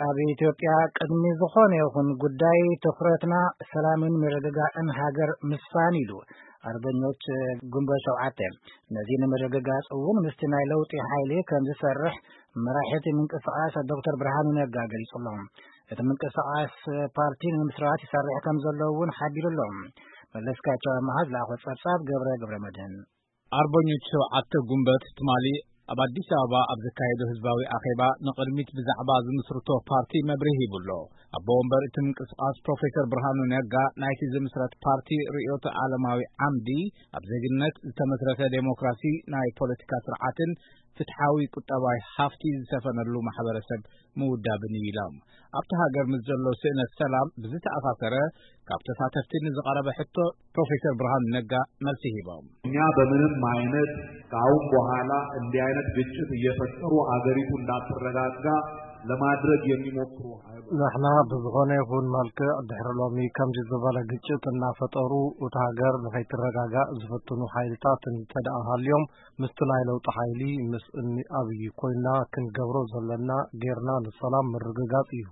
ኣብ ኢትዮጵያ ቅድሚ ዝኾነ ይኹን ጉዳይ ትኹረትና ሰላምን ምርግጋእን ሃገር ምስፋን ኢሉ ኣርበኞች ግንቦት ሸውዓተ። ነዚ ንምርግጋጽ እውን ምስቲ ናይ ለውጢ ሓይሊ ከም ዝሰርሕ መራሒ እቲ ምንቅስቃስ ዶክተር ብርሃኑ ነጋ ገሊጹ ኣሎ። እቲ ምንቅስቃስ ፓርቲ ንምስራት ይሰርሕ ከም ዘሎ እውን ሓቢሩ ኣሎ። መለስካቸው ኣመሃ ዝለኣኾ ጸብጻብ ገብረ ገብረ መድህን። ኣርበኞች ሸውዓተ ጉንበት ትማሊ ኣብ ኣዲስ ኣበባ ኣብ ዘካየዶ ህዝባዊ ኣኼባ ንቕድሚት ብዛዕባ ዝምስርቶ ፓርቲ መብርሂ ሂቡ ኣሎ። ኣቦ ወንበር እቲ ምንቅስቃስ ፕሮፌሰር ብርሃኑ ነጋ ናይቲ ዝምስረት ፓርቲ ርእዮተ ዓለማዊ ዓምዲ ኣብ ዜግነት ዝተመስረተ ዴሞክራሲ ናይ ፖለቲካ ስርዓትን ፍትሓዊ ቁጠባዊ ሃፍቲ ዝሰፈነሉ ማሕበረሰብ ምውዳብን እዩ ኢሎም። ኣብቲ ሃገር ምስ ዘሎ ስእነት ሰላም ብዝተኣሳሰረ ካብ ተሳተፍቲ ንዝቐረበ ሕቶ ፕሮፌሰር ብርሃኑ ነጋ መልሲ ሂቦም። እኛ በምንም አይነት ከአሁን በኋላ እንዲህ አይነት ግጭት እየፈጠሩ አገሪቱ እንዳትረጋጋ ለማድረግ የሚሞክሩ ኃይሎች ንሕና ብዝኾነ ይኹን መልክዕ ድሕሪ ሎሚ ከምዚ ዝበለ ግጭት እናፈጠሩ እታ ሃገር ንኸይትረጋጋእ ዝፍትኑ ሓይልታት እንተደኣ ሃልዮም ምስቲ ናይ ለውጢ ሓይሊ ምስ እኒ ኣብይ ኮይና ክንገብሮ ዘለና ጌርና ንሰላም ምርግጋጽ እዩ።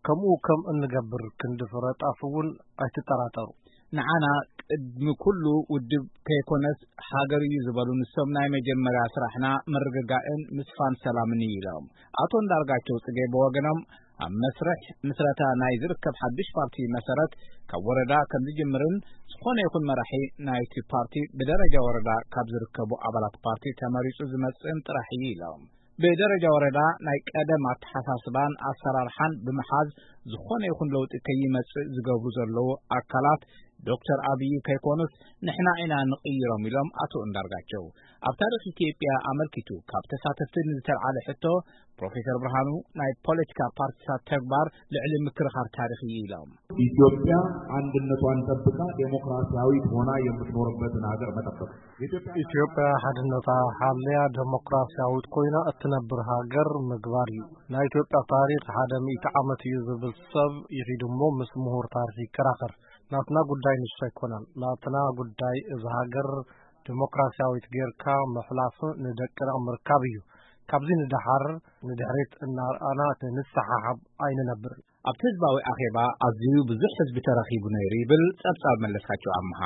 ከምኡ ከም እንገብር ክንዲ ፍረ ጣፍ እውን ኣይትጠራጠሩ። ንዓና ቅድሚ ኩሉ ውድብ ከይኮነስ ሃገር እዩ ዝበሉ ንሶም ናይ መጀመርያ ስራሕና ምርግጋእን ምስፋን ሰላምን እዩ ኢሎም። ኣቶ እንዳርጋቸው ጽጌ ብወገኖም ኣብ መስርሕ ምስረታ ናይ ዝርከብ ሓዱሽ ፓርቲ መሰረት ካብ ወረዳ ከም ዝጅምርን ዝኾነ ይኹን መራሒ ናይቲ ፓርቲ ብደረጃ ወረዳ ካብ ዝርከቡ ኣባላት ፓርቲ ተመሪጹ ዝመጽእን ጥራሕ እዩ ኢሎም። ብደረጃ ወረዳ ናይ ቀደም ኣተሓሳስባን ኣሰራርሓን ብምሓዝ ዝኾነ ይኹን ለውጢ ከይመጽእ ዝገብሩ ዘለዉ ኣካላት ዶክተር ኣብይ ከይኮኑስ ንሕና ኢና ንቕይሮም ኢሎም ኣቶ እንዳርጋቸው። ኣብ ታሪኽ ኢትዮጵያ ኣመልኪቱ ካብ ተሳተፍቲ ንዝተልዓለ ሕቶ ፕሮፌሰር ብርሃኑ ናይ ፖለቲካ ፓርቲታት ተግባር ልዕሊ ምክርኻር ታሪኽ እዩ ኢሎም። ኢትዮጵያ አንድነቷን ጠብቃ ዴሞክራሲያዊት ሆና የምትኖርበትን ሀገር መጠበቅ። ኢትዮጵያ ሓድነታ ሓለያ ዴሞክራሲያዊት ኮይና እትነብር ሃገር ምግባር እዩ። ናይ ኢትዮጵያ ታሪኽ ሓደ ሚእቲ ዓመት እዩ ዝብል ሰብ ይኺድ እሞ ምስ ምሁር ታሪኽ ይከራኸር። ናትና ጉዳይ ንሱ ኣይኮነን። ናትና ጉዳይ እዛ ሃገር ዴሞክራሲያዊት ጌርካ ምሕላፍ ንደቅና ምርካብ እዩ። ካብዚ ንደሓር ንድሕሪት እናርኣና ንሰሓሓብ ኣይንነብርን። ኣብቲ ህዝባዊ ኣኼባ ኣዝዩ ብዙሕ ህዝቢ ተረኺቡ ነይሩ ይብል ጸብጻብ መለስካቸው ኣምሃ።